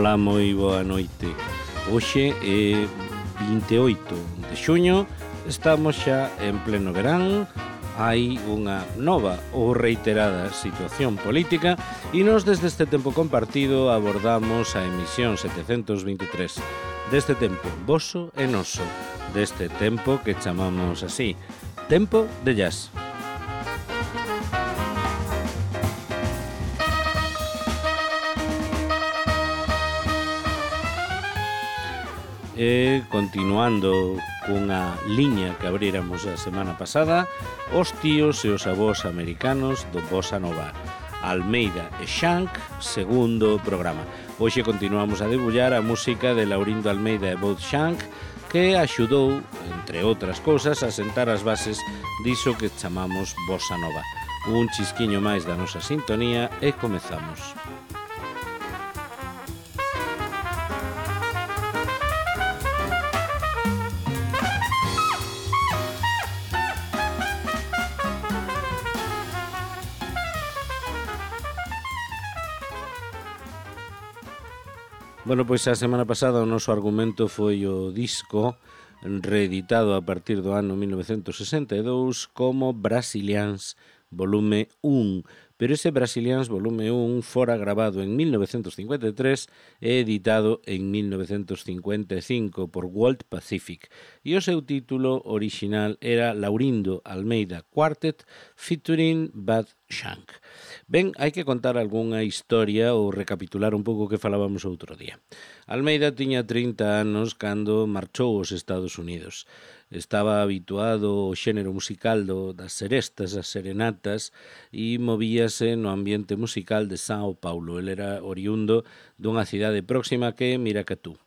Ola, moi boa noite. Hoxe é 28 de xuño, estamos xa en pleno verán, hai unha nova ou reiterada situación política e nos desde este tempo compartido abordamos a emisión 723 deste tempo voso e noso, deste tempo que chamamos así, tempo de jazz. E continuando cunha liña que abríramos a semana pasada, os tíos e os avós americanos do Bossa Nova, Almeida e Shank, segundo programa. Hoxe continuamos a debullar a música de Laurindo Almeida e Bud Shank, que axudou, entre outras cousas, a sentar as bases diso que chamamos Bossa Nova. Un chisquiño máis da nosa sintonía e comezamos. Bueno, pois a semana pasada o noso argumento foi o disco reeditado a partir do ano 1962 como Brasilians volume 1, pero ese Brasilians volume 1 fora grabado en 1953 e editado en 1955 por World Pacific, e o seu título orixinal era Laurindo Almeida Quartet featuring Bud Shank. Ben, hai que contar algunha historia ou recapitular un pouco o que falábamos outro día. Almeida tiña 30 anos cando marchou aos Estados Unidos. Estaba habituado ao xénero musical das serestas, das serenatas, e movíase no ambiente musical de São Paulo. Ele era oriundo dunha cidade próxima que é Miracatú.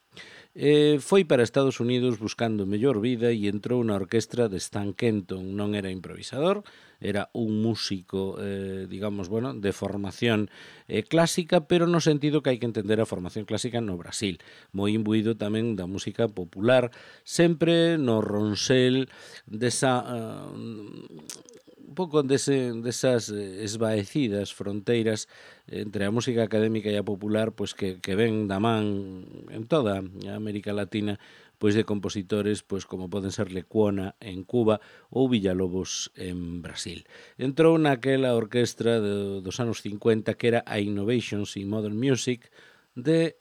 Foi para Estados Unidos buscando mellor vida e entrou na orquestra de Stan Kenton. Non era improvisador, era un músico, digamos, bueno, de formación clásica, pero no sentido que hai que entender a formación clásica no Brasil. Moi imbuído tamén da música popular, sempre no ronsel desa... un pouco desas esvaecidas fronteiras entre a música académica e a popular, pois que ven da man en toda a América Latina, pois de compositores pois como poden ser Lecuona en Cuba ou Villalobos en Brasil. Entrou naquela orquestra dos anos 50 que era a Innovations in Modern Music de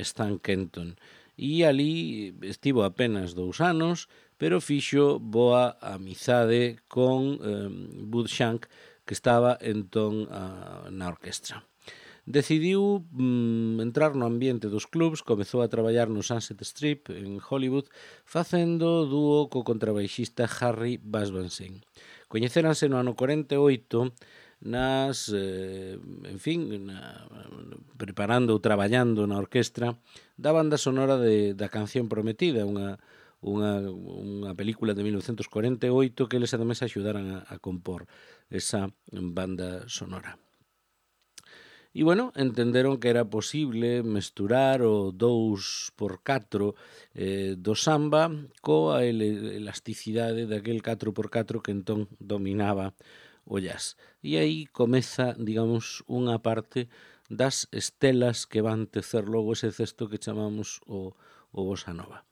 Stan Kenton, e ali estivo apenas 2 anos, pero fixo boa amizade con Bud Shank, que estaba entón na orquestra. Decidiu entrar no ambiente dos clubs, comezou a traballar no Sunset Strip en Hollywood, facendo dúo co contrabaixista Harry Basbansen. Coñecéranse no ano 48 preparando ou traballando na orquestra da banda sonora da Canción Prometida, unha película de 1948 que eles ademais axudaran a compor esa banda sonora. E, bueno, entenderon que era posible mesturar o 2x4 do samba coa elasticidade daquel 4x4 que entón dominaba o jazz. E aí comeza, digamos, unha parte das estelas que van tecer logo ese cesto que chamamos o Bossa Nova.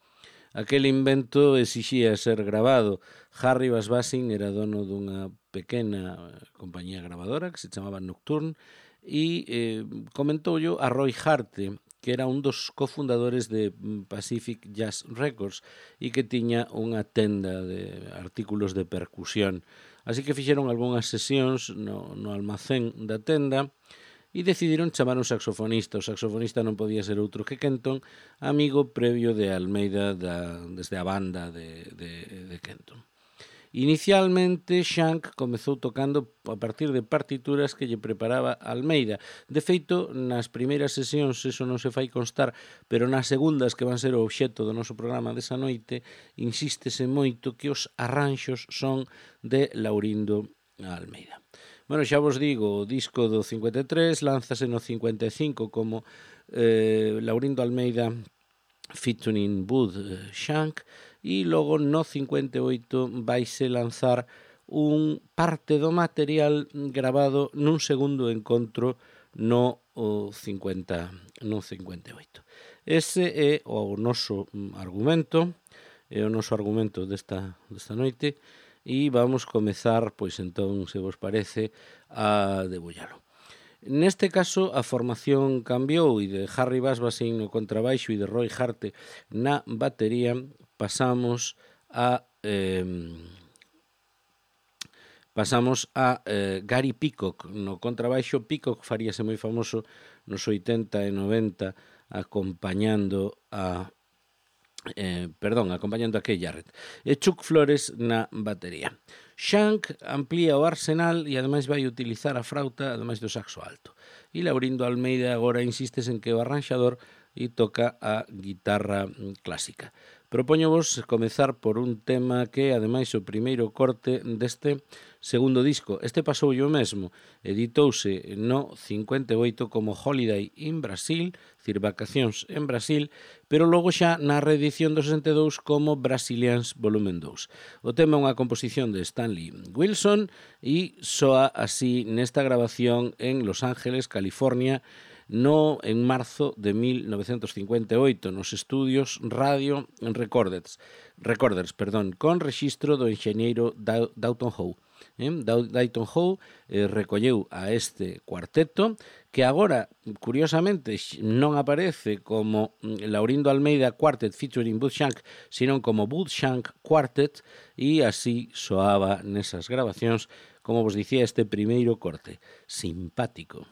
Aquel invento exixía ser grabado. Harry Basbansen era dono dunha pequena compañía grabadora que se chamaba Nocturne e comentoullo a Roy Harte, que era un dos cofundadores de Pacific Jazz Records e que tiña unha tenda de artículos de percusión. Así que fixeron algunhas sesións no almacén da tenda e decidiron chamar un saxofonista. O saxofonista non podía ser outro que Kenton, amigo previo de Almeida desde a banda de Kenton. Inicialmente, Shank comezou tocando a partir de partituras que lle preparaba Almeida. De feito, nas primeiras sesións eso non se fai constar, pero nas segundas, que van ser o obxecto do noso programa desa noite, insístese moito que os arranxos son de Laurindo Almeida. Bueno, xa vos digo, o disco do 53 lánzase no 55 como Laurindo Almeida featuring Bud Shank, e logo no 58 vaise lanzar un parte do material grabado nun segundo encontro no 58. Ese é o noso argumento, desta noite, e vamos comezar, pois entón, se vos parece, a debullalo. Neste caso, a formación cambiou e de Harry Basbasin no contrabaixo e de Roy Harte na batería pasamos a Gary Peacock no contrabaixo. Peacock faríase moi famoso nos 80 e 90 acompañando a Kay Jarrett, e Chuck Flores na batería. Shank amplía o arsenal e ademais vai utilizar a frauta ademais do saxo alto. E Laurindo Almeida agora insistes en que o arranxador e toca a guitarra clásica. Propóñovos comezar por un tema que é ademais o primeiro corte deste segundo disco. Este pasou o mesmo, editouse no 58 como Holiday in Brasil, dicir, Vacacións en Brasil, pero logo xa na reedición do 62 como Brasilians Volumen 2. O tema é unha composición de Stanley Wilson e soa así nesta grabación en Los Ángeles, California, en marzo de 1958, nos estudios Radio Recorders, con rexistro do enxeñeiro Dayton Howe. Dayton Howe recolleu a este cuarteto, que agora, curiosamente, non aparece como Laurindo Almeida Quartet featuring Bud Shank, sino como Bud Shank Quartet, e así soaba nesas grabacións, como vos dicía, este primeiro corte, simpático.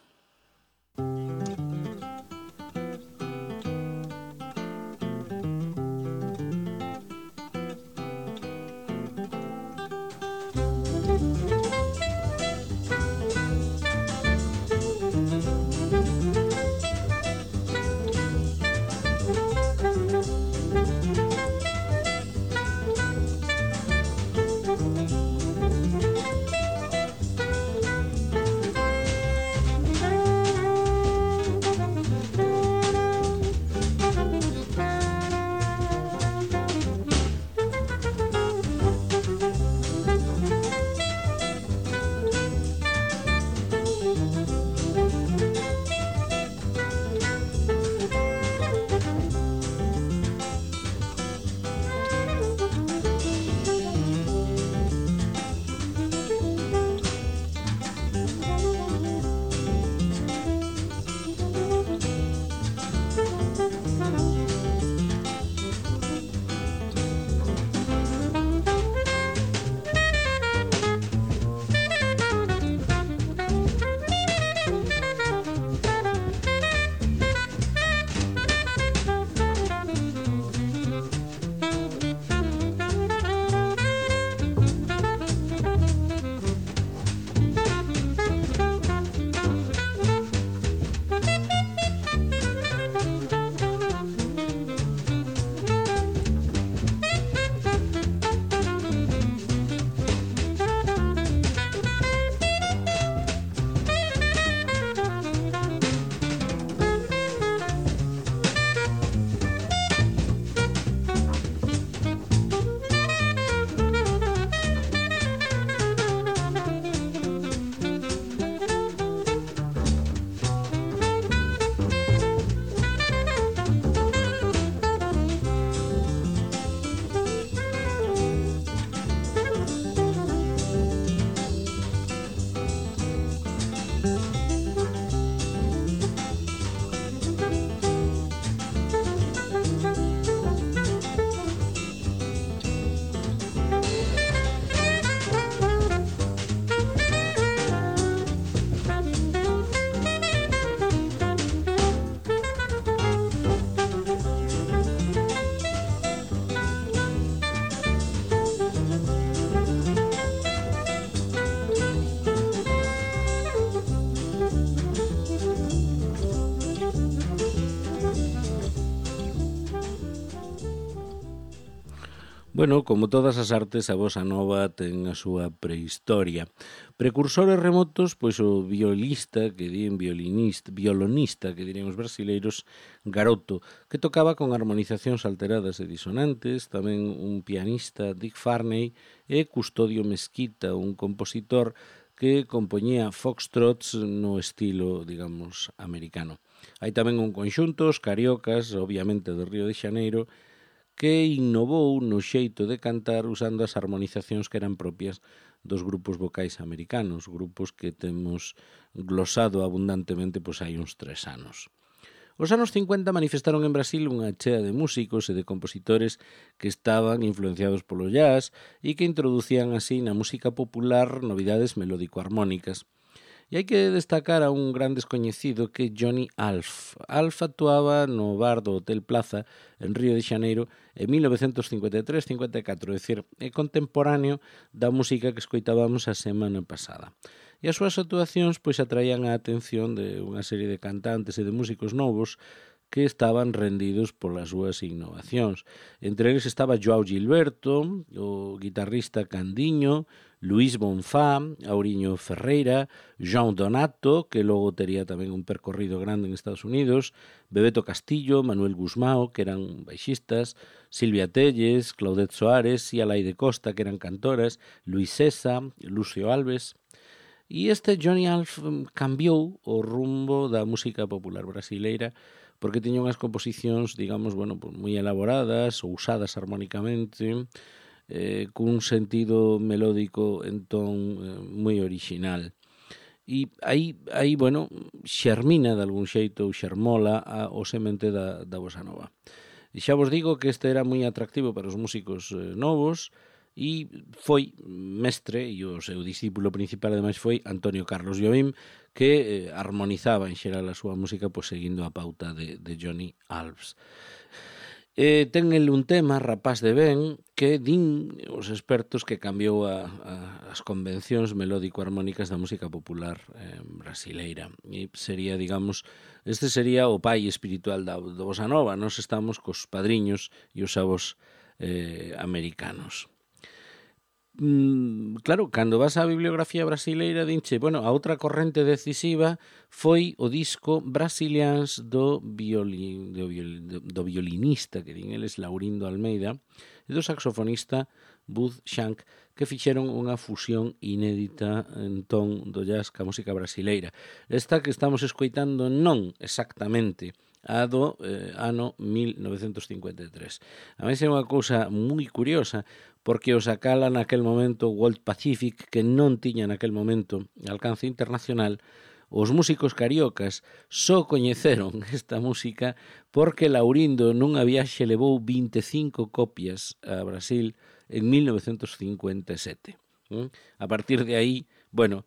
Bueno, como todas as artes, a bossa nova ten a súa prehistoria. Precursores remotos, pois o violonista, que dirían os brasileiros, Garoto, que tocaba con armonizacións alteradas e disonantes, tamén un pianista, Dick Farney, e Custodio Mesquita, un compositor que compoñía foxtrots no estilo, digamos, americano. Hai tamén un conxunto, os Cariocas, obviamente do Río de Xaneiro, que innovou no xeito de cantar usando as armonizacións que eran propias dos grupos vocais americanos, grupos que temos glosado abundantemente pois hai uns 3 anos. Os anos 50 manifestaron en Brasil unha chea de músicos e de compositores que estaban influenciados polo jazz e que introducían así na música popular novidades melódico-armónicas. E hai que destacar a un gran descoñecido que é Johnny Alf. Alf actuaba no bar do Hotel Plaza en Río de Xaneiro en 1953-54, é dicir, é contemporáneo da música que escoitábamos a semana pasada. E as súas actuacións pois atraían a atención de unha serie de cantantes e de músicos novos que estaban rendidos polas súas innovacións. Entre eles estaba João Gilberto, o guitarrista Candiño, Luís Bonfá, Auriño Ferreira, João Donato, que logo tería tamén un percorrido grande en Estados Unidos, Bebeto Castillo, Manuel Gusmao, que eran baixistas, Silvia Telles, Claudette Soares e Alaide Costa, que eran cantoras, Luís Cesa, Lucio Alves. E este Johnny Alf cambiou o rumbo da música popular brasileira porque tiña unhas composicións, digamos, bueno, pues moi elaboradas ou usadas armónicamente, cun sentido melódico entón moi orixinal. E aí, bueno, xermina de algún xeito ou xermola o semente da bossa nova. E xa vos digo que este era moi atractivo para os músicos novos, e foi mestre, e o seu discípulo principal ademais foi Antonio Carlos Jobim, que armonizaba en xeral a súa música pois, seguindo a pauta de Johnny Alves. Ten el un tema, Rapaz de Ben, que din os expertos que cambiou as convencións melódico-armónicas da música popular brasileira. E sería, digamos, este sería o pai espiritual do bossa nova. Nós estamos cos padriños e os avós americanos. Claro, cando vas á bibliografía brasileira dinche, bueno, a outra corrente decisiva foi o disco Brasilians do violinista, que din eles Laurindo Almeida, e do saxofonista Bud Shank, que fixeron unha fusión inédita en ton do jazz ca música brasileira. Esta que estamos escoitando non exactamente a do ano 1953. A máis é unha cousa moi curiosa, porque o sacala naquel momento World Pacific, que non tiña naquel momento alcance internacional. Os músicos cariocas só coñeceron esta música porque Laurindo nunha viaxe levou 25 copias a Brasil en 1957. A partir de aí, bueno,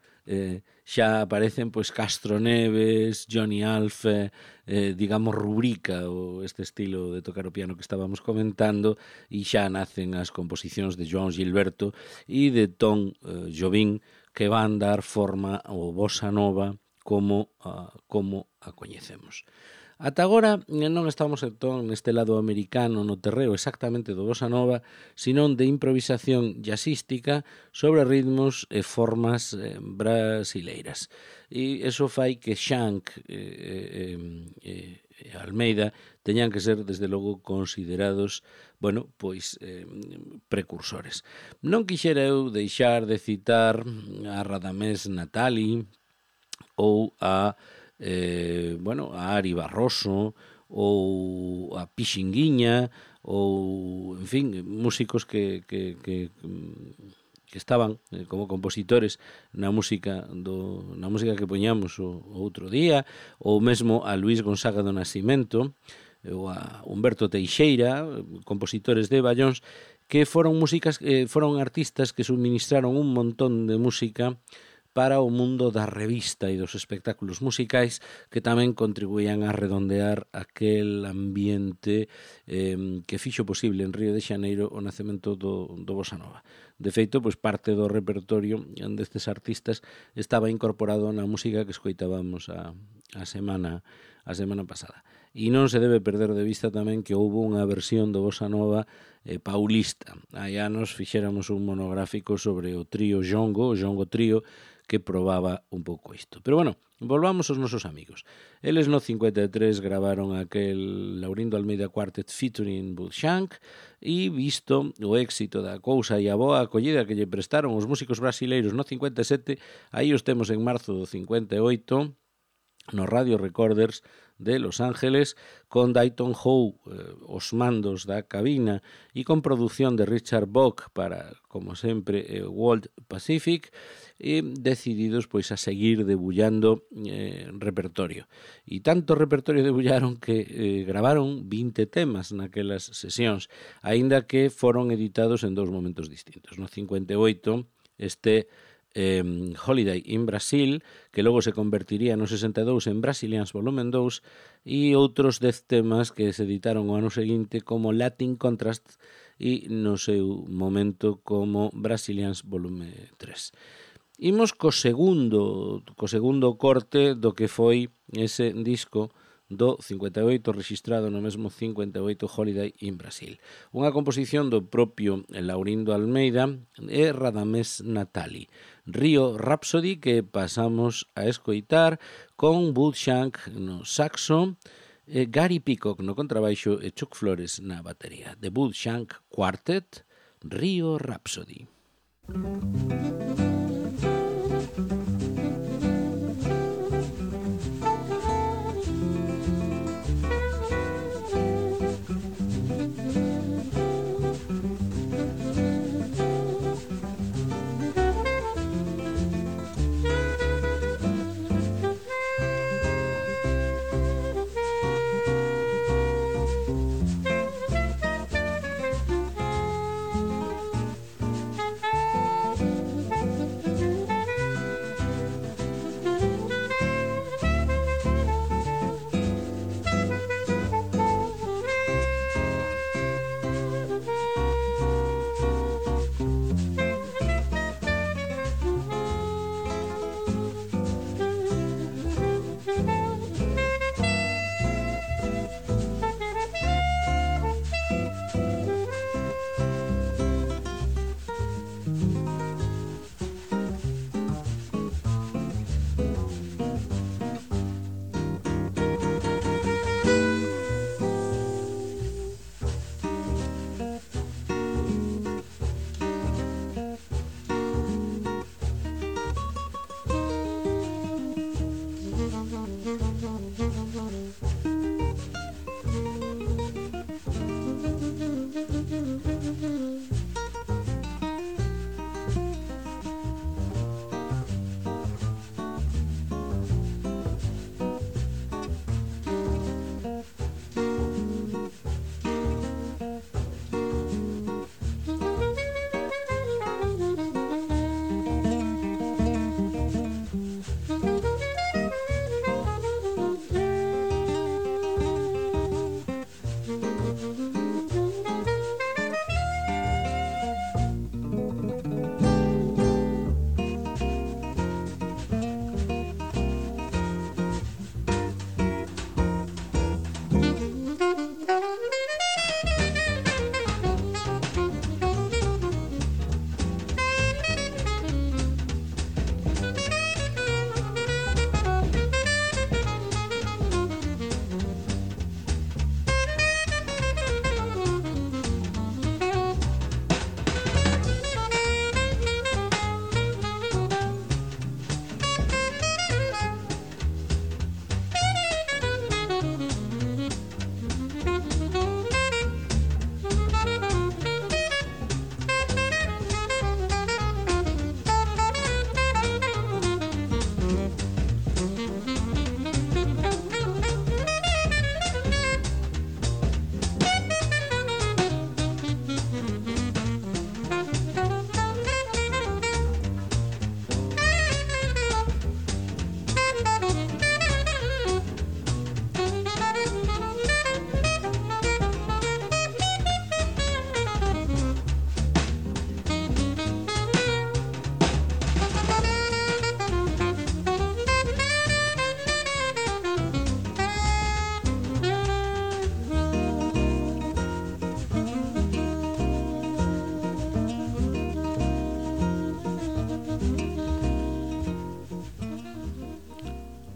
xa aparecen pois Castro Neves, Johnny Alf, digamos rubrica este estilo de tocar o piano que estábamos comentando, e xa nacen as composicións de João Gilberto e de Tom Jobim, que van dar forma ao bossa nova como a coñecemos. Ata agora non estamos entón neste lado americano no terreo exactamente do bossa nova, senón de improvisación jazzística sobre ritmos e formas brasileiras. E iso fai que Shank e Almeida teñan que ser, desde logo, considerados, bueno, pois precursores. Non quixera eu deixar de citar a Radamés Natali ou a Ari Barroso ou a Pixinguinha ou, en fin, músicos que estaban como compositores na música que poñamos o outro día, ou mesmo a Luís Gonzaga do Nascimento ou a Humberto Teixeira, compositores de Ballóns, que foron artistas que suministraron un montón de música para o mundo da revista e dos espectáculos musicais, que tamén contribuían a redondear aquel ambiente que fixo posible en Río de Xaneiro o nacemento do bossa nova. De feito, pois parte do repertorio destes artistas estaba incorporado na música que escoitábamos a semana pasada. E non se debe perder de vista tamén que houve unha versión do bossa nova paulista. Hai anos fixéramos un monográfico sobre o trío Jongo, o Jongo Trío, que probaba un pouco isto. Pero bueno, volvamos aos nosos amigos. Eles no 53 gravaron aquel Laurindo Almeida Quartet featuring Bud Shank e visto o éxito da cousa e a boa acollida que lle prestaron os músicos brasileiros no 57, aí os temos en marzo do 58 no Radio Recorders de Los Ángeles, con Dayton Howe os mandos da cabina e con produción de Richard Bock para, como sempre, World Pacific, e decididos pois a seguir debullando repertorio. E tanto repertorio debullaron que gravaron 20 temas naquelas sesións, aínda que foron editados en dous momentos distintos. No 58 este Holiday in Brasil, que logo se convertiría no 62 en Brazilians Volumen 2, e outros 10 temas que se editaron o ano seguinte como Latin Contrast e no seu momento como Brazilians Volume 3. Imos co segundo corte do que foi ese disco do 58 registrado no mesmo 58 Holiday in Brasil. Unha composición do propio Laurindo Almeida e Radamés Natali. Rio Rhapsody, que pasamos a escoitar con Bud Shank no saxo, Gary Peacock no contrabaixo e Chuck Flores na batería. The Bud Shank Quartet, Rio Rhapsody.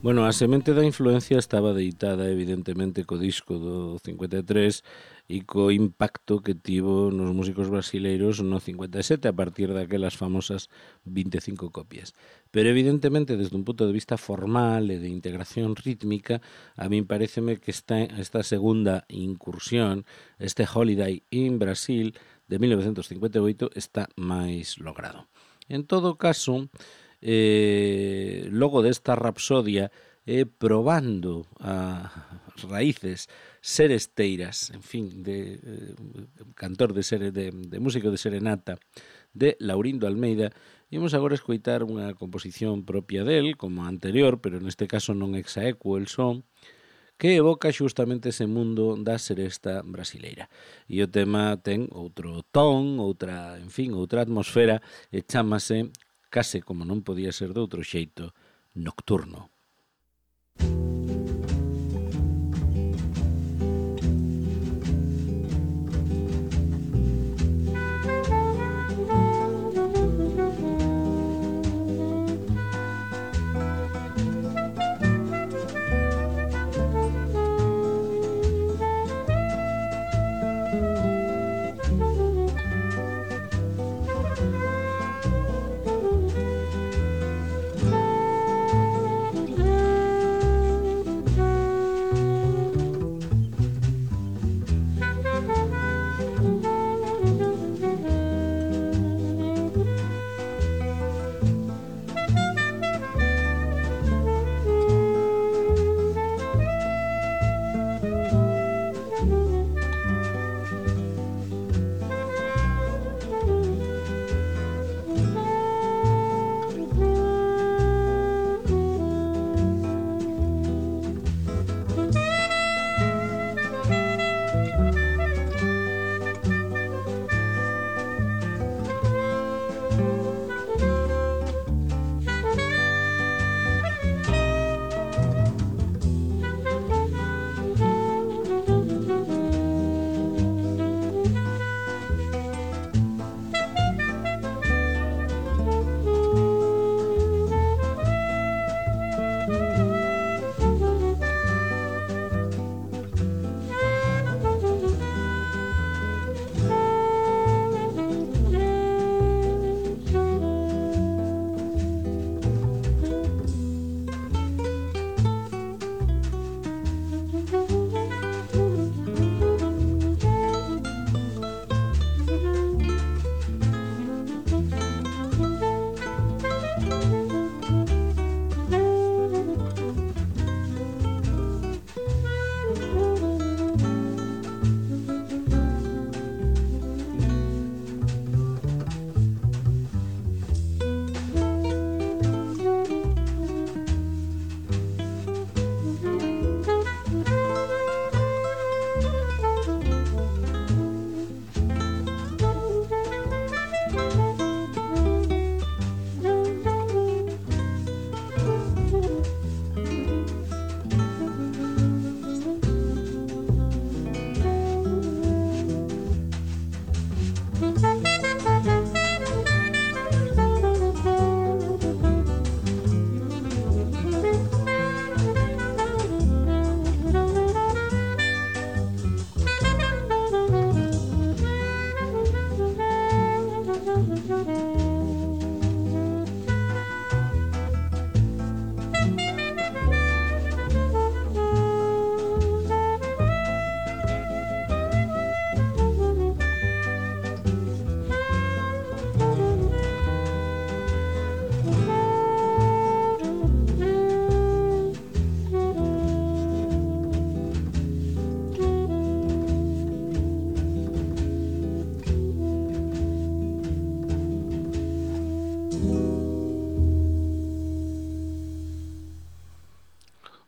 Bueno, a semente da influencia estaba deitada evidentemente co disco do 53 e co impacto que tivo nos músicos brasileiros no 57 a partir daquelas famosas 25 copias. Pero evidentemente desde un punto de vista formal e de integración rítmica, a min pareceme que esta segunda incursión, este Holiday in Brasil de 1958 está máis logrado. En todo caso, logo desta rapsodia probando as raíces seresteiras, en fin, de cantor de músico de serenata de Laurindo Almeida, imos agora escoitar unha composición propia del, como a anterior, pero neste caso non exaequo el son, que evoca xustamente ese mundo da seresta brasileira. E o tema ten outro ton, outra atmosfera, e chámase, case como non podía ser de outro xeito, Nocturno.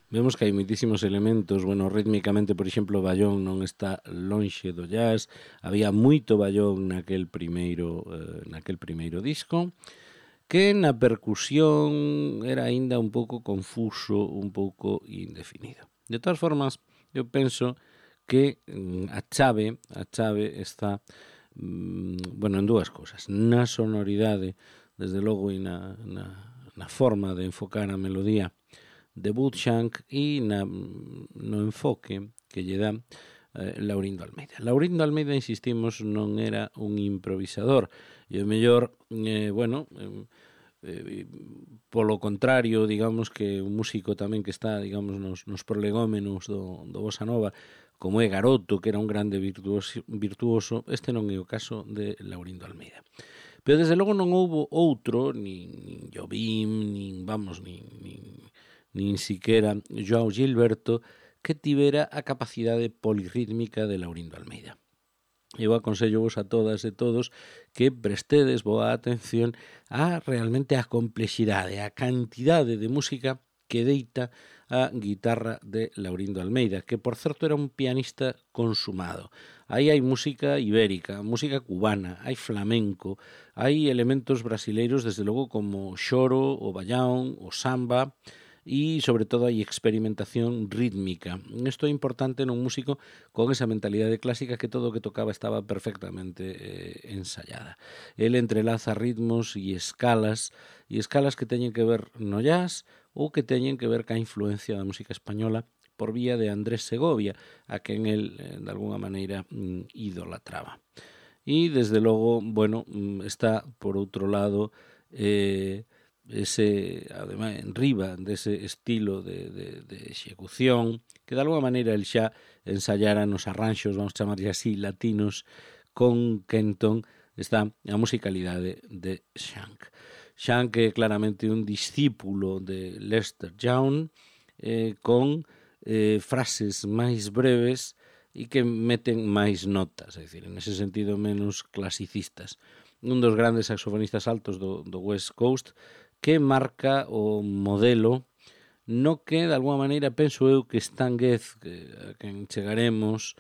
Vemos que hai moitísimos elementos, bueno, rítmicamente, por exemplo, o ballón non está lonxe do jazz, había moito ballón naquel primeiro disco, que na percusión era aínda un pouco confuso, un pouco indefinido. De todas formas, eu penso que a chave está en dúas cousas, na sonoridade, desde logo, e na forma de enfocar a melodía de Bootshank e no enfoque que lle dá Laurindo Almeida. Laurindo Almeida, insistimos, non era un improvisador, e o mellor, polo contrario, digamos que un músico tamén que está, digamos, nos prolegómenos do Bossa Nova, como é Garoto, que era un grande virtuoso, este non é o caso de Laurindo Almeida. Pero desde logo non houbo outro, nin Jobim, nin siquera Joao Gilberto, que tivera a capacidade polirrítmica de Laurindo Almeida. Eu aconsello vos a todas e todos que prestedes boa atención realmente a complexidade, a cantidade de música que deita a guitarra de Laurindo Almeida, que por certo era un pianista consumado. Aí hai música ibérica, música cubana, hai flamenco, hai elementos brasileiros, desde logo, como o xoro, o baião, o samba, e, sobre todo, hai experimentación rítmica. Isto é importante nun músico con esa mentalidade clásica que todo o que tocaba estaba perfectamente ensayada. El entrelaza ritmos e escalas que teñen que ver no jazz ou que teñen que ver ca influencia da música española por vía de Andrés Segovia, a quen el, de alguna maneira, idolatraba. E, desde logo, está, por outro lado, ademais, en riba dese estilo de execución que de alguma maneira el xa ensayara nos arranxos, vamos chamarlle así, latinos, con Kenton, está a musicalidade de Shank. Shank é claramente un discípulo de Lester Young, con frases máis breves e que meten máis notas, é dicir, en ese sentido menos clasicistas. Un dos grandes saxofonistas altos do West Coast, que marca o modelo no que, de alguma maneira, penso eu que Stan Getz, a quen chegaremos,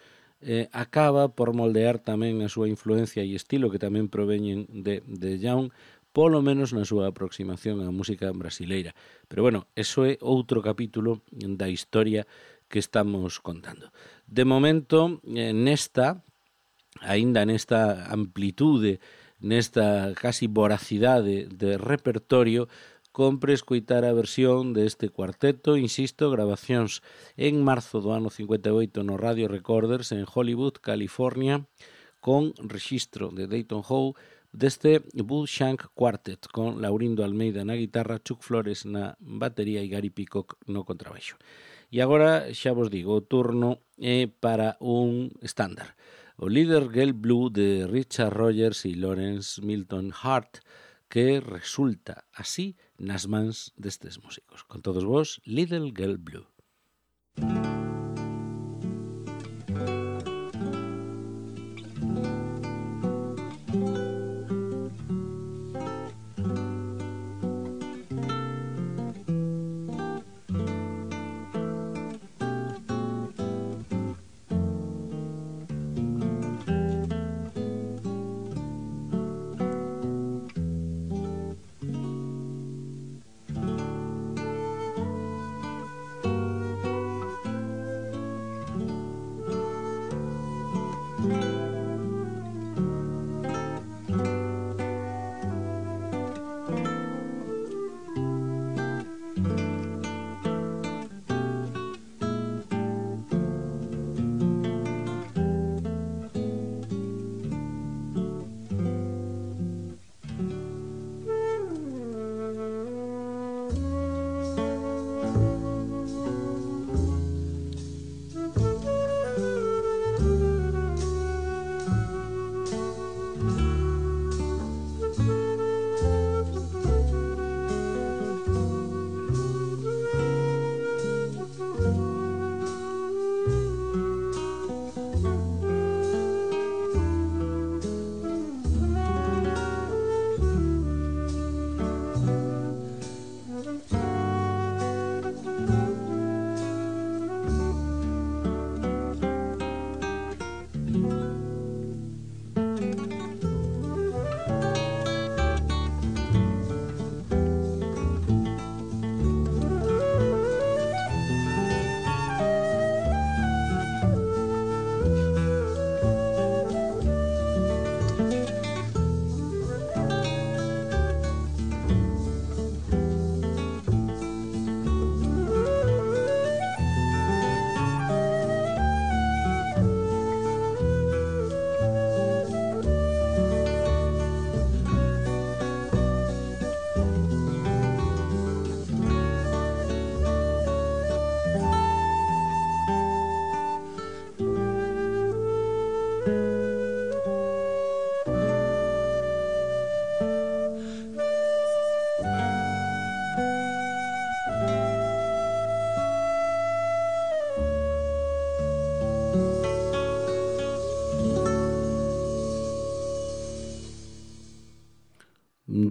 acaba por moldear tamén a súa influencia e estilo, que tamén proveñen de Young, polo menos na súa aproximación á música brasileira. Pero, eso é outro capítulo da historia que estamos contando. De momento, aínda nesta amplitude, nesta casi voracidade de repertorio, compre escoitar a versión deste cuarteto, insisto, grabacións en marzo do ano 58 no Radio Recorders en Hollywood, California, con rexistro de Dayton Hall deste Bootshank Quartet, con Laurindo Almeida na guitarra, Chuck Flores na batería e Gary Peacock no contrabaixo. E agora, xa vos digo, o turno é para un estándar. O Little Girl Blue de Richard Rogers e Lawrence Milton Hart, que resulta así nas mans destes músicos. Con todos vos, Little Girl Blue.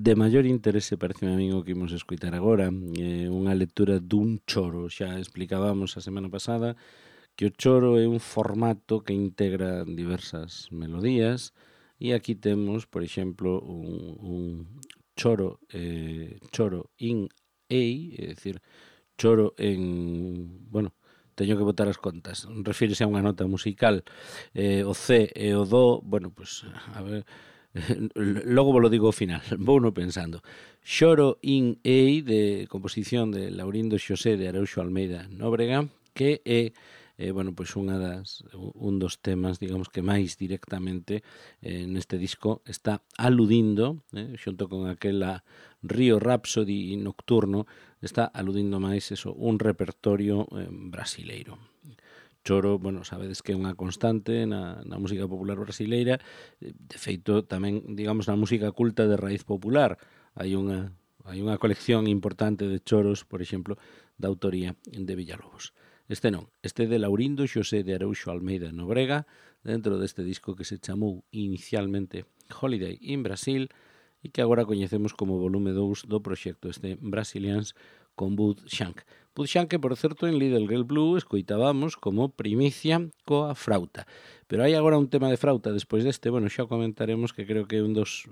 de maior interese parece a min o que imos escoitar agora, unha lectura dun choro. Xa explicábamos a semana pasada que o choro é un formato que integra diversas melodías e aquí temos, por exemplo, un choro in A, é dicir, choro en, bueno, teño que botar as contas, refírese a unha nota musical, o C e o Do, bueno, pues, a ver, logo vos lo digo ao final, vou no pensando. Choro in A, de composición de Laurindo Xosé de Araúxo Almeida Nóbrega, que é bueno, pois un dos temas, digamos, que máis directamente neste disco está aludindo, xunto con aquela Río Rhapsody nocturno, está aludindo máis un repertorio brasileiro. Choro, bueno, sabedes que é unha constante na música popular brasileira, de feito tamén, digamos, na música culta de raíz popular. Hai unha colección importante de choros, por exemplo, da autoría de Villalobos. Este non, este de Laurindo Xosé de Araúxo Almeida Nóbrega, dentro deste disco que se chamou inicialmente Holiday in Brasil e que agora coñecemos como volume 2 do proxecto este Brasilians con Bud Shank. Bud Shank, que, por certo, en Little Girl Blue escoitábamos como primicia coa frauta. Pero hai agora un tema de frauta despois deste, bueno, xa comentaremos, que creo que é un dos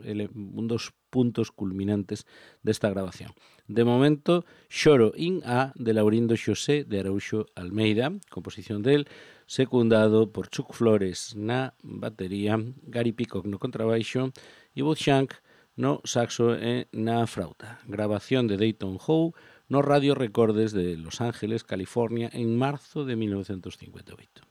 puntos culminantes desta grabación. De momento, Choro in A, de Laurindo Xosé de Araúxo Almeida, composición del, secundado por Chuck Flores na batería, Gary Peacock no contrabaixo e Bud Shank no saxo e na frauta. Grabación de Dayton Howe no Radio Recordes de Los Ángeles, California, en marzo de 1958.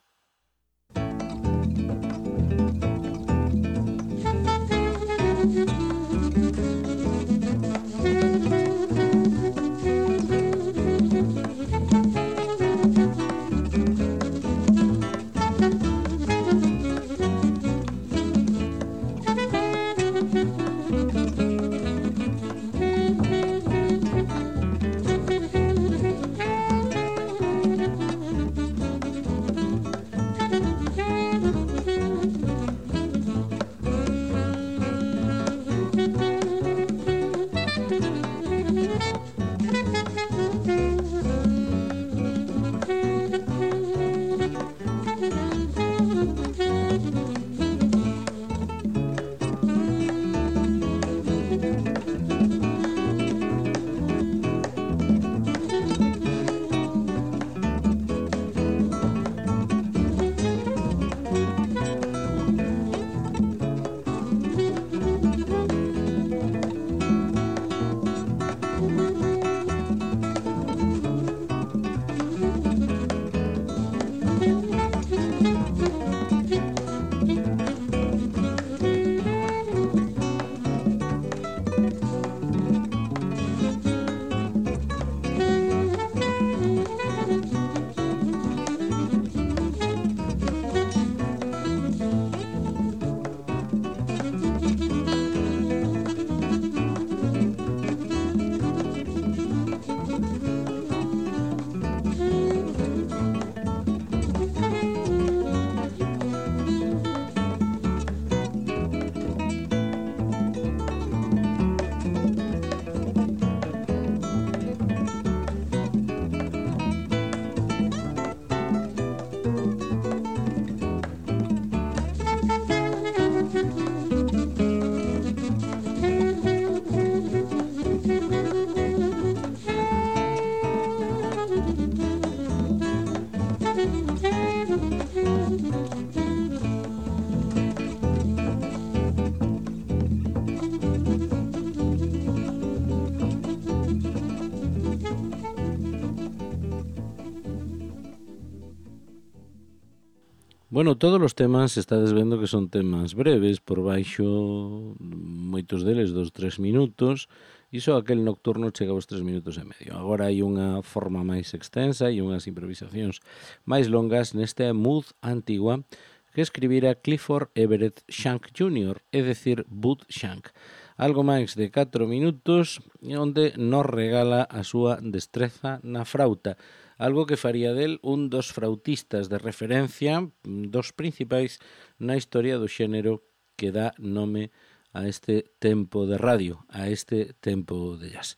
Bueno, todos os temas estades vendo que son temas breves, por baixo moitos deles 2-3 minutos, e só aquel nocturno chega aos 3 minutos e medio. Agora hai unha forma máis extensa e unhas improvisacións máis longas nesta Mood Antigua que escribira Clifford Everett Shank Jr., é dicir, Bud Shank. Algo máis de 4 minutos onde nos regala a súa destreza na frauta, algo que faría del un dos frautistas de referencia, dos principais na historia do xénero que dá nome a este tempo de radio, a este tempo de jazz.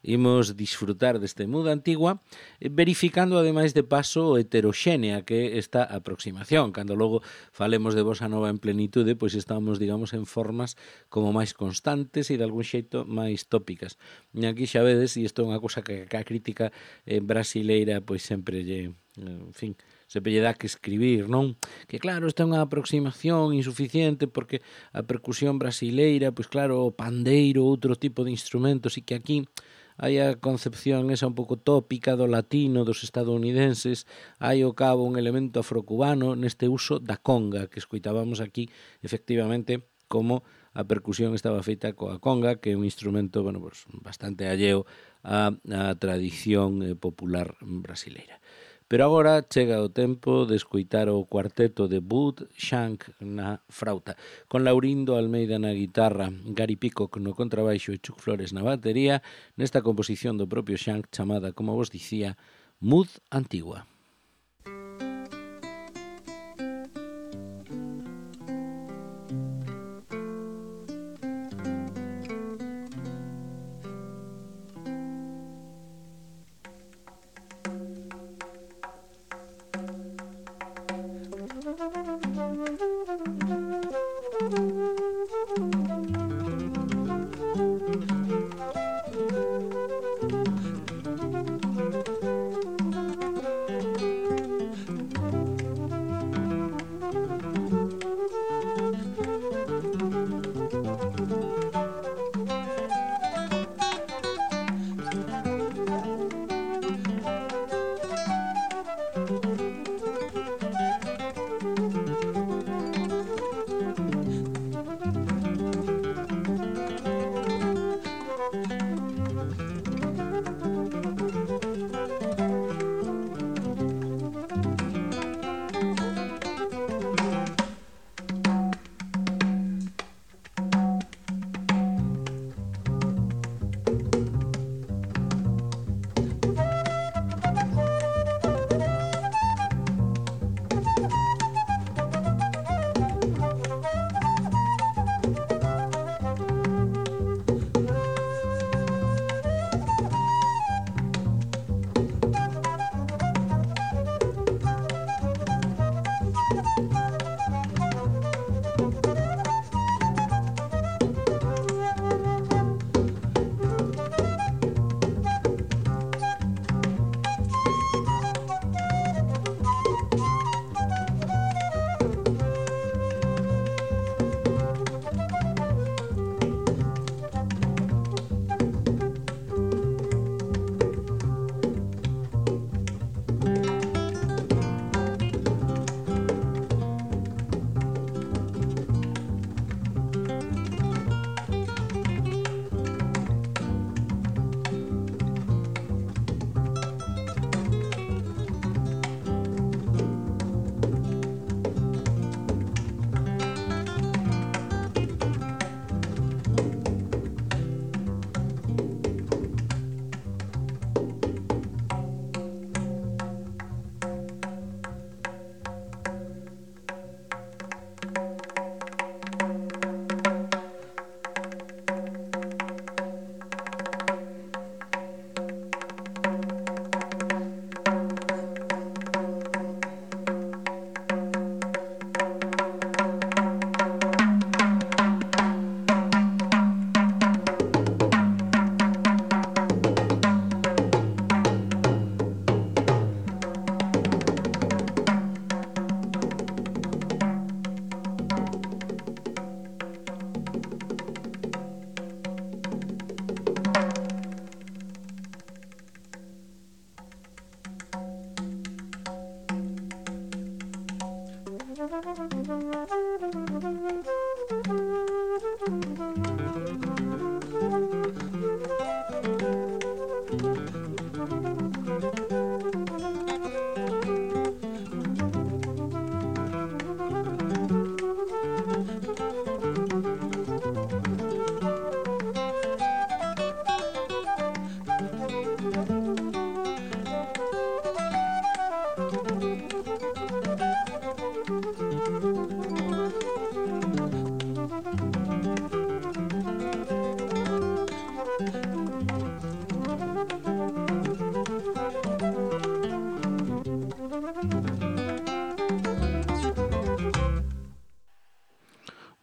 Imos disfrutar deste Mood Antigua verificando ademais de paso o heteroxénea que é esta aproximación. Cando logo falemos de bossa nova en plenitude, pois estamos, digamos, en formas como máis constantes e de algún xeito máis tópicas. E aquí xa vedes, e isto é unha cousa que a crítica brasileira pois sempre lle, en fin, sempre lle dá que escribir, non? Que claro, esta é unha aproximación insuficiente porque a percusión brasileira, pois claro, o pandeiro, outro tipo de instrumentos, e que aquí hai a concepción esa un pouco tópica do latino, dos estadounidenses, hai ao cabo un elemento afrocubano neste uso da conga, que escoitábamos aquí, efectivamente, como a percusión estaba feita coa conga, que é un instrumento, bueno, pues, bastante alleo á tradición popular brasileira. Pero agora chega o tempo de escoitar o cuarteto de Bud Shank na frauta, con Laurindo Almeida na guitarra, Gary Peacock no contrabaixo e Chuck Flores na batería, nesta composición do propio Shank chamada, como vos dicía, Mood Antigua.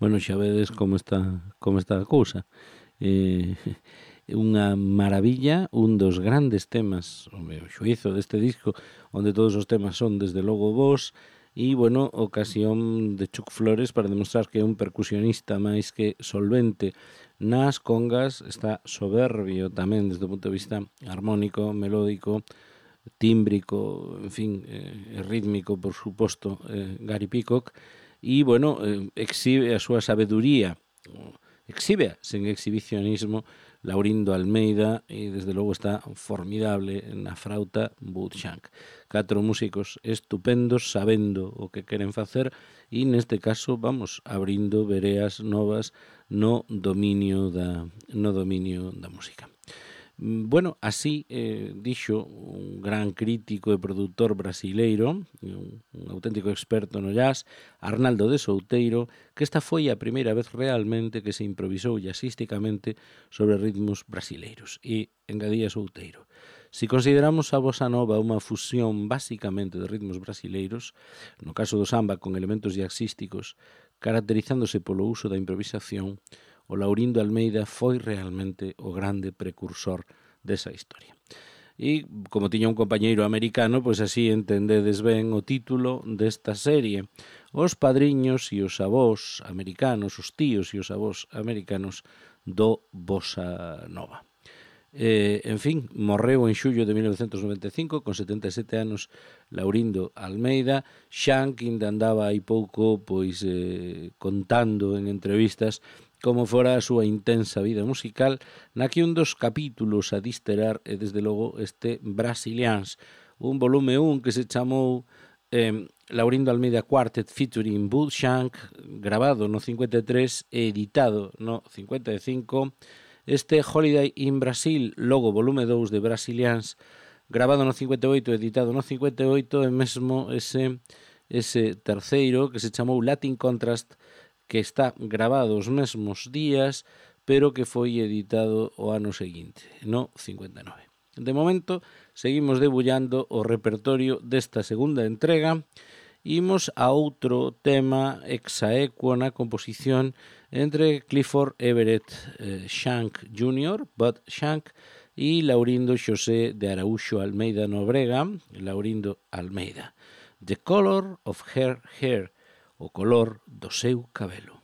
Bueno, xa vedes como está a cousa. Unha maravilla, un dos grandes temas, o meu xuízo deste disco, onde todos os temas son desde logo bons, e, bueno, ocasión de Chuck Flores para demostrar que é un percusionista máis que solvente nas congas, está soberbio tamén desde o punto de vista armónico, melódico, tímbrico, en fin, rítmico, por suposto, Gary Peacock, e, bueno, exhibe a súa sabeduría, exhibe sen exhibicionismo Laurindo Almeida e desde logo está formidable na frauta Bud Shank. 4 músicos estupendos sabendo o que queren facer e neste caso vamos abrindo vereas novas no dominio da música. Bueno, así dixo un gran crítico e produtor brasileiro, un auténtico experto no jazz, Arnaldo de Souteiro, que esta foi a primeira vez realmente que se improvisou jazzísticamente sobre ritmos brasileiros. E engadía Souteiro: si consideramos a bossa nova unha fusión basicamente de ritmos brasileiros, no caso do samba con elementos jazzísticos, caracterizándose polo uso da improvisación, o Laurindo Almeida foi realmente o grande precursor desa historia. E, como tiña un compañeiro americano, pois así entendedes ben o título desta serie: Os padriños e os avós americanos, os tíos e os avós americanos do bossa nova. En fin, morreu en xullo de 1995 con 77 anos Laurindo Almeida. Shank ainda andaba hai pouco pois contando en entrevistas como fora a súa intensa vida musical, na que un dos capítulos a disterar é desde logo este Brasilians, un volume 1 que se chamou Laurindo Almeida Quartet featuring Bud Shank, grabado no 53 e editado no 55, este Holiday in Brasil, logo volume 2 de Brasilians, grabado no 58 e editado no 58, e mesmo ese terceiro que se chamou Latin Contrast, que está grabado os mesmos días, pero que foi editado o ano seguinte, no 59. De momento, seguimos debullando o repertorio desta segunda entrega. Imos a outro tema exaequo na composición entre Clifford Everett Shank Jr., Bud Shank, e Laurindo Xosé de Araúxo Almeida Nobrega, Laurindo Almeida. The Color of Her Hair, o color do seu cabelo.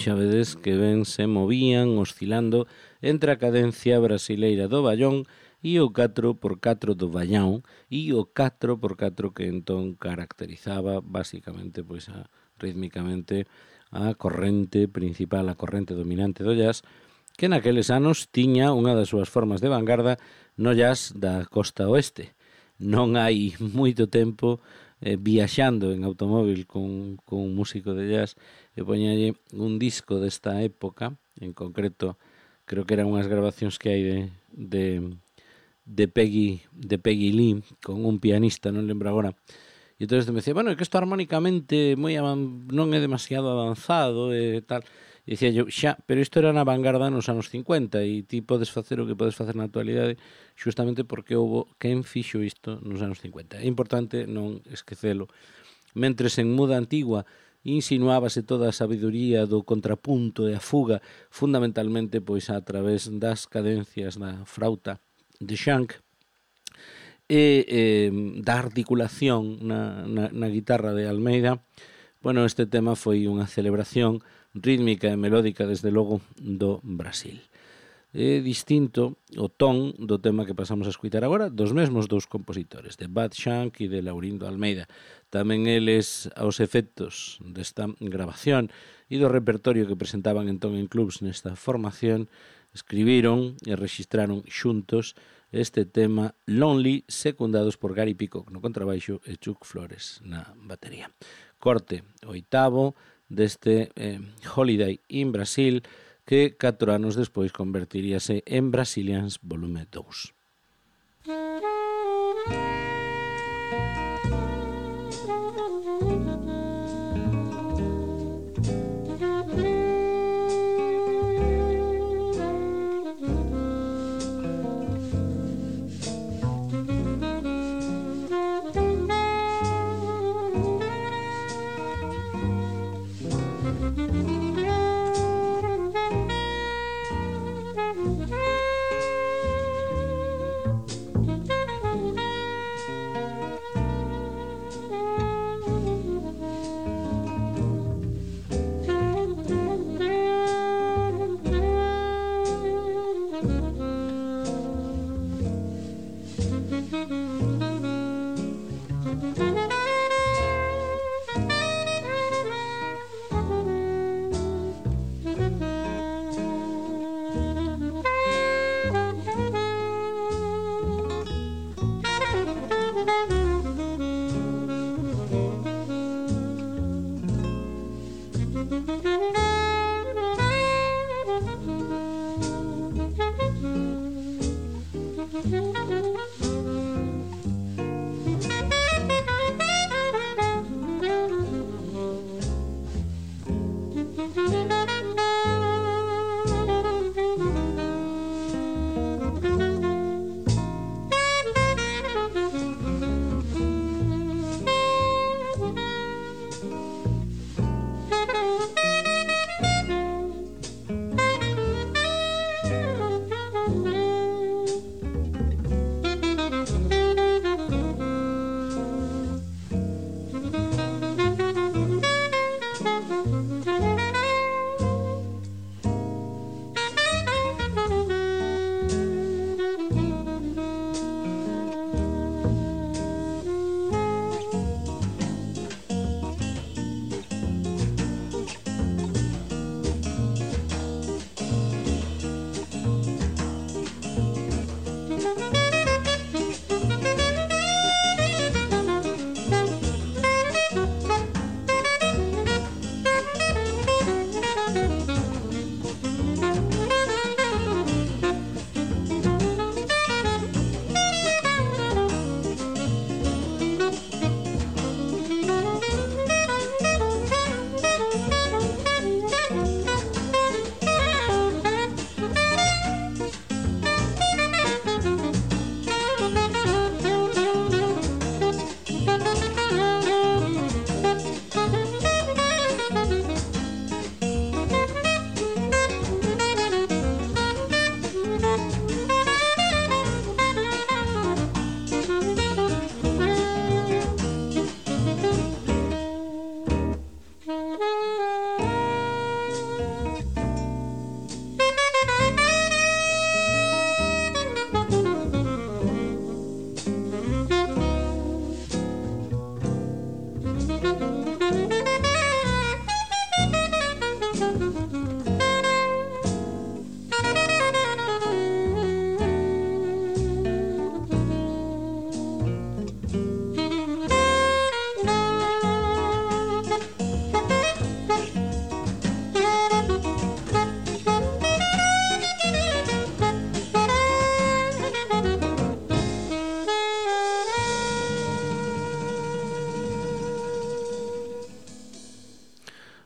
Xa vedes que ben se movían oscilando entre a cadencia brasileira do ballón e o 4x4 do ballão e o 4x4 que entón caracterizaba basicamente, pois, rítmicamente a corrente principal, a corrente dominante do jazz, que naqueles anos tiña unha das súas formas de vanguarda no jazz da costa oeste. Non hai moito tempo viaxando en automóvil con un músico de jazz e poñalle un disco desta época, en concreto creo que eran unhas grabacións que hai de Peggy Lee con un pianista, non lembro agora. E entón me decía, bueno, é que isto armónicamente non é demasiado avanzado e tal. E dicía eu, xa, pero isto era na vanguarda nos anos 50 e ti podes facer o que podes facer na actualidade xustamente porque houbo quen fixo isto nos anos 50. É importante non esquecelo. Mentres en Muda Antigua insinuábase toda a sabiduría do contrapunto e a fuga, fundamentalmente pois a través das cadencias da frauta de Shank e da articulación na guitarra de Almeida. Bueno, este tema foi unha celebración rítmica e melódica, desde logo, do Brasil. É distinto o ton do tema que pasamos a escutar agora, dos mesmos dous compositores, de Bud Shank e de Laurindo Almeida. Tamén eles, aos efectos desta grabación e do repertorio que presentaban entón en clubs nesta formación, escribiron e registraron xuntos este tema Lonely, secundados por Gary Peacock no contrabaixo e Chuck Flores na batería. Corte oitavo deste Holiday in Brasil, que 4 anos despois convertiríase en Brazilians Volume 2.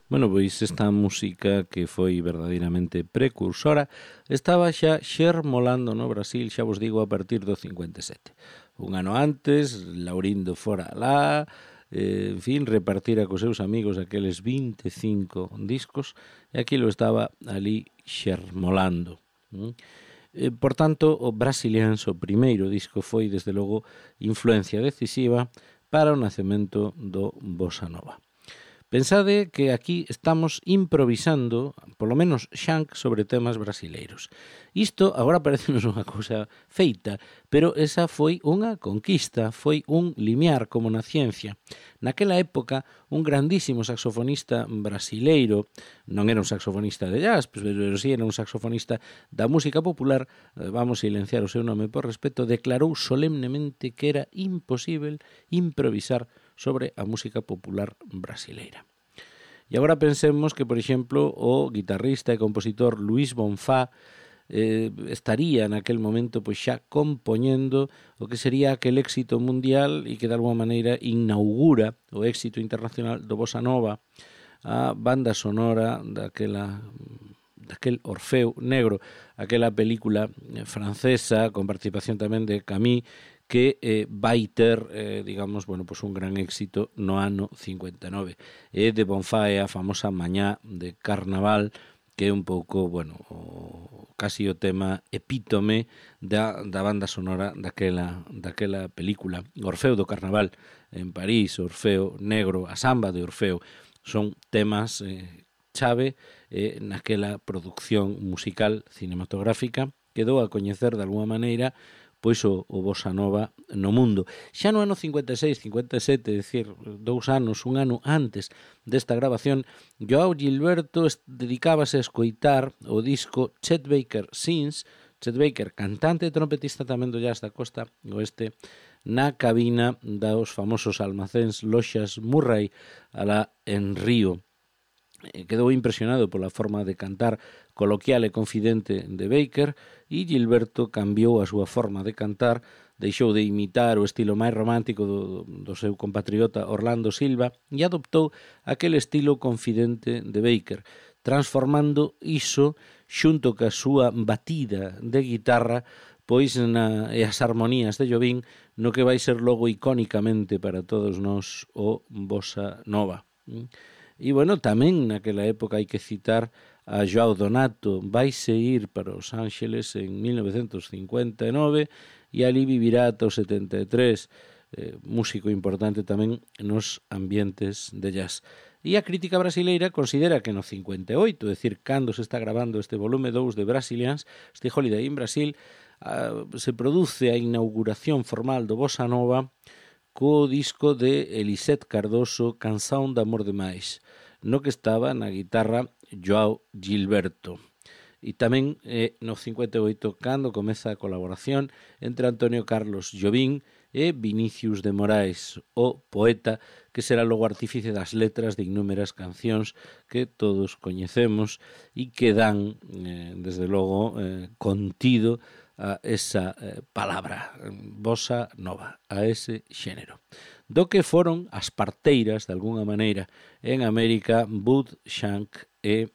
Bueno, pois esta música que foi verdadeiramente precursora estaba xa xermolando no Brasil, xa vos digo, a partir do 57. Un ano antes, Laurindo fora alá, en fin, repartira cos seus amigos aqueles 25 discos e aquilo estaba ali xermolando. Por tanto, o Brasilians, o primeiro disco, foi, desde logo, influencia decisiva para o nacemento do Bossa Nova. Pensade que aquí estamos improvisando, polo menos Xanc, sobre temas brasileiros. Isto agora parecenos unha cousa feita, pero esa foi unha conquista, foi un limiar como na ciencia. Naquela época, un grandísimo saxofonista brasileiro, non era un saxofonista de jazz, pero sí era un saxofonista da música popular, vamos silenciar o seu nome por respeto, declarou solemnemente que era imposible improvisar sobre a música popular brasileira. E agora pensemos que, por exemplo, o guitarrista e compositor Luis Bonfá estaría naquel momento pois xa compoñendo o que sería aquel éxito mundial e que de alguma maneira inaugura o éxito internacional do Bossa Nova, a banda sonora daquel Orfeo Negro, aquela película francesa con participación tamén de Camille, que vai ter, digamos, bueno, pues un gran éxito no ano 59. De Bonfá é a famosa Mañá de Carnaval, que é un pouco, bueno, casi o tema epítome da banda sonora daquela película. Orfeo do Carnaval en París, Orfeo Negro, a samba de Orfeo, son temas chave naquela producción musical cinematográfica que dou a coñecer de alguma maneira pois o Bossa Nova no mundo. Xa no ano 56, 57, é dicir, un ano antes desta grabación, Joao Gilberto dedicábase a escoitar o disco Chet Baker Sings, Chet Baker, cantante e trompetista tamén do jazz da costa oeste, na cabina dos famosos almacéns Loxas Murray, alá en Río. Quedou impresionado pola forma de cantar coloquial e confidente de Baker e Gilberto cambiou a súa forma de cantar, deixou de imitar o estilo máis romántico do seu compatriota Orlando Silva e adoptou aquele estilo confidente de Baker, transformando iso xunto ca súa batida de guitarra pois e as armonías de Jobim no que vai ser logo icónicamente para todos nós o Bossa Nova. E, bueno, tamén naquela época hai que citar a Joao Donato, vaise ir para Os Ángeles en 1959 e ali vivirá ata os 73, músico importante tamén nos ambientes de jazz. E a crítica brasileira considera que no 58, é dicir, cando se está grabando este volume 2 de Brasilians, este Holiday in Brasil, se produce a inauguración formal do Bossa Nova co disco de Elisette Cardoso, Canção de Amor Demais, no que estaba na guitarra Joao Gilberto. E tamén no 58 cando comeza a colaboración entre Antonio Carlos Jobim e Vinicius de Moraes, o poeta que será logo artífice das letras de innúmeras cancións que todos coñecemos e que dan, desde logo, contido a esa palabra, Bossa Nova, a ese xénero, do que foron as parteiras, de alguna maneira, en América, Bud Shank e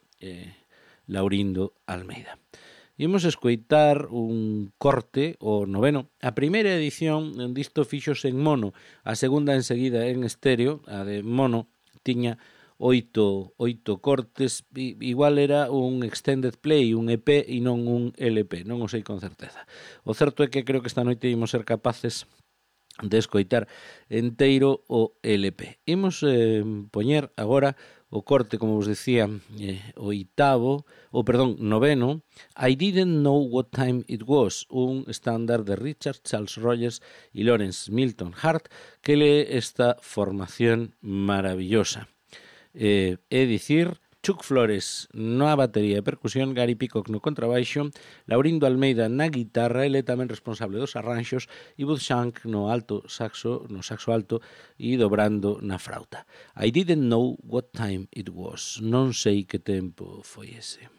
Laurindo Almeida. Imos escoitar un corte, o noveno. A primeira edición disto fixose en mono, a segunda enseguida en estéreo, a de mono tiña 8 cortes, igual era un extended play, un EP e non un LP, non o sei con certeza. O certo é que creo que esta noite imos ser capaces de escoitar enteiro o LP. Imos poñer agora o corte, como vos decía, noveno, I Didn't Know What Time It Was, un estándar de Richard Charles Rogers y Lawrence Milton Hart, que lee esta formación maravillosa. É dicir, Chuck Flores na batería e percusión, Gary Peacock no contrabaixo, Laurindo Almeida na guitarra, ele tamén responsable dos arranxos, e Bud Shank no saxo alto e dobrando na frauta. I didn't know what time it was. Non sei que tempo foi ese.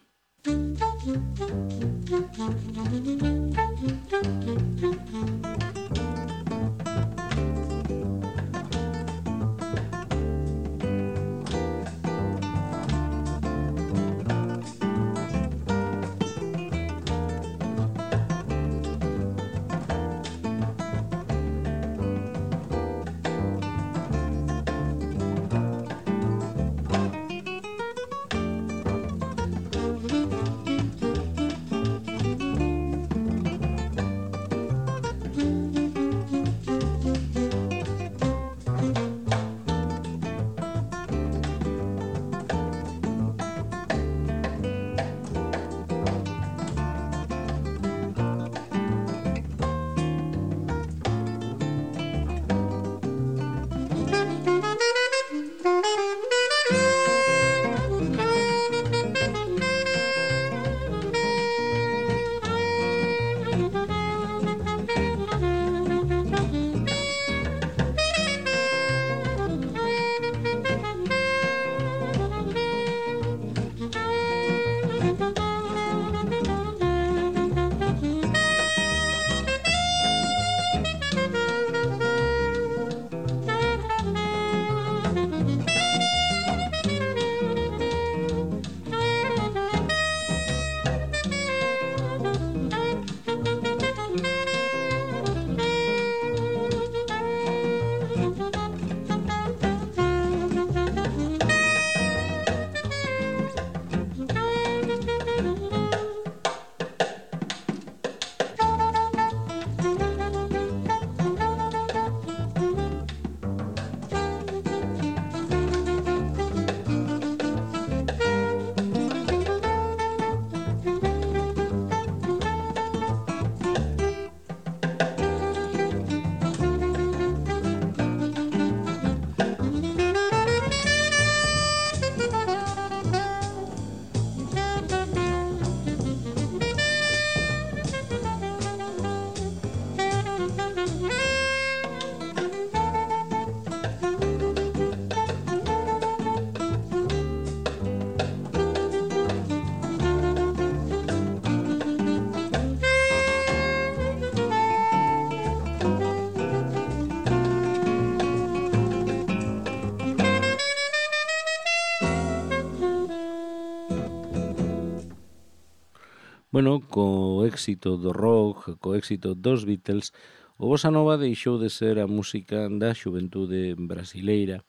Bueno, co éxito do rock, co éxito dos Beatles, o bossa nova deixou de ser a música da xuventude brasileira,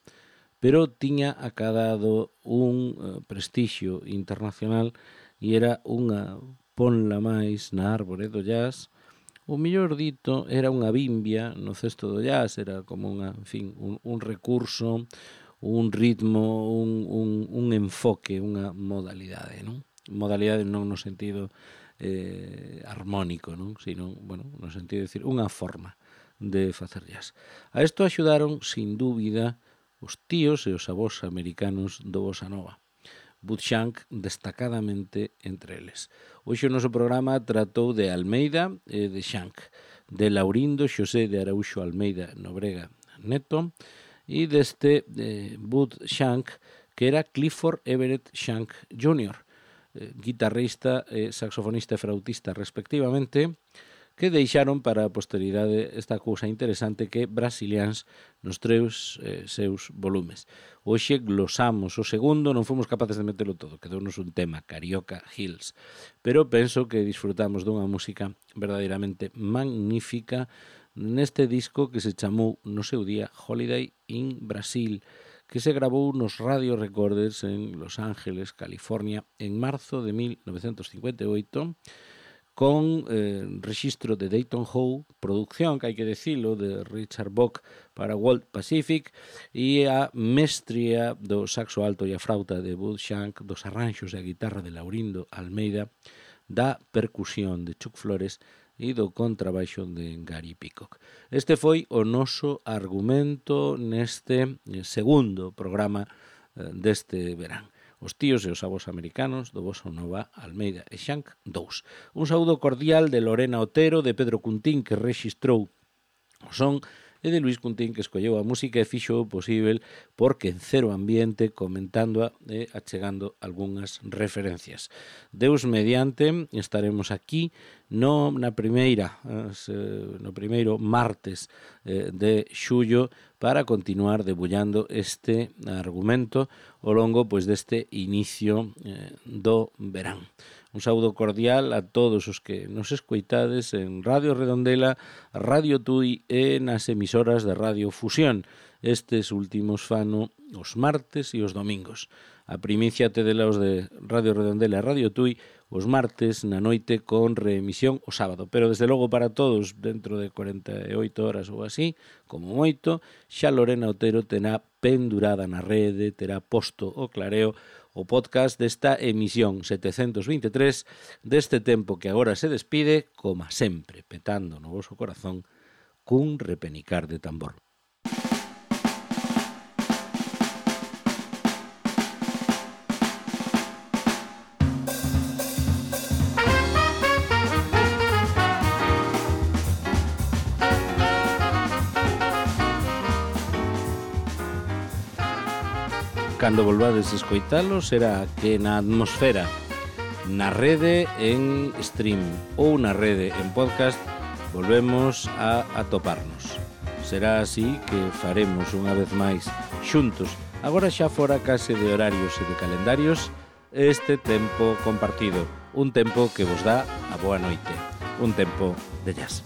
pero tiña acadado un prestixio internacional e era unha ponla máis na árbore do jazz. O mellor dito, era unha bimbia no cesto do jazz, era como un recurso, un ritmo, un enfoque, unha modalidade, non? Modalidade non no sentido armónico, non? Sino, bueno, no sentido de decir, unha forma de facer jazz. A isto axudaron, sin dúbida, os tíos e os avós americanos do bossa nova. Bud Shank destacadamente entre eles. Hoxe o noso programa tratou de Almeida e de Shank, de Laurindo Xosé de Araúxo Almeida Nobrega Neto e deste Bud Shank, que era Clifford Everett Shank Jr., guitarrista, saxofonista e flautista respectivamente, que deixaron para a posteridade esta cousa interesante que Brasilians nos seus volumes. Hoxe glosamos o segundo, non fomos capaces de metelo todo, quedounos un tema, Carioca Hills, pero penso que disfrutamos dunha música verdadeiramente magnífica neste disco que se chamou no seu día Holiday in Brasil, que se grabou nos Radio Recorders en Los Ángeles, California, en marzo de 1958, con rexistro de Dayton Howe, producción, que hai que decilo, de Richard Bock para World Pacific, e a mestría do saxo alto e a frauta de Bud Shank, dos arranxos e a guitarra de Laurindo Almeida, da percusión de Chuck Flores e do contrabaixo de Gary Peacock. Este foi o noso argumento neste segundo programa deste verán. Os tíos e os avós americanos do bossa nova Almeida e Shank 2. Un saúdo cordial de Lorena Otero, de Pedro Cuntín, que rexistrou o son, e de Luis Cuntín, que escolleu a música e fixo o posible porque en Cero Ambiente, comentándoa e achegando algunhas referencias. Deus mediante, estaremos aquí no primeiro martes de xullo para continuar debullando este argumento ao longo deste inicio do verán. Un saúdo cordial a todos os que nos escoitades en Radio Redondela, Radio Tui e nas emisoras de Radio Fusión. Estes últimos fano os martes e os domingos. A primicia tedelaos de Radio Redondela e Radio Tui os martes na noite con reemisión o sábado. Pero desde logo para todos, dentro de 48 horas ou así, como moito, xa Lorena Otero terá pendurada na rede, terá posto o clareo o podcast desta emisión 723 deste tempo que agora se despide, como sempre, petando no voso corazón cun repenicar de tambor. Cando volvades a escoitalo será que na atmosfera, na rede en stream ou na rede en podcast volvemos a atoparnos. Será así que faremos unha vez máis xuntos, agora xa fora case de horarios e de calendarios, este tempo compartido, un tempo que vos dá a boa noite, un tempo de jazz.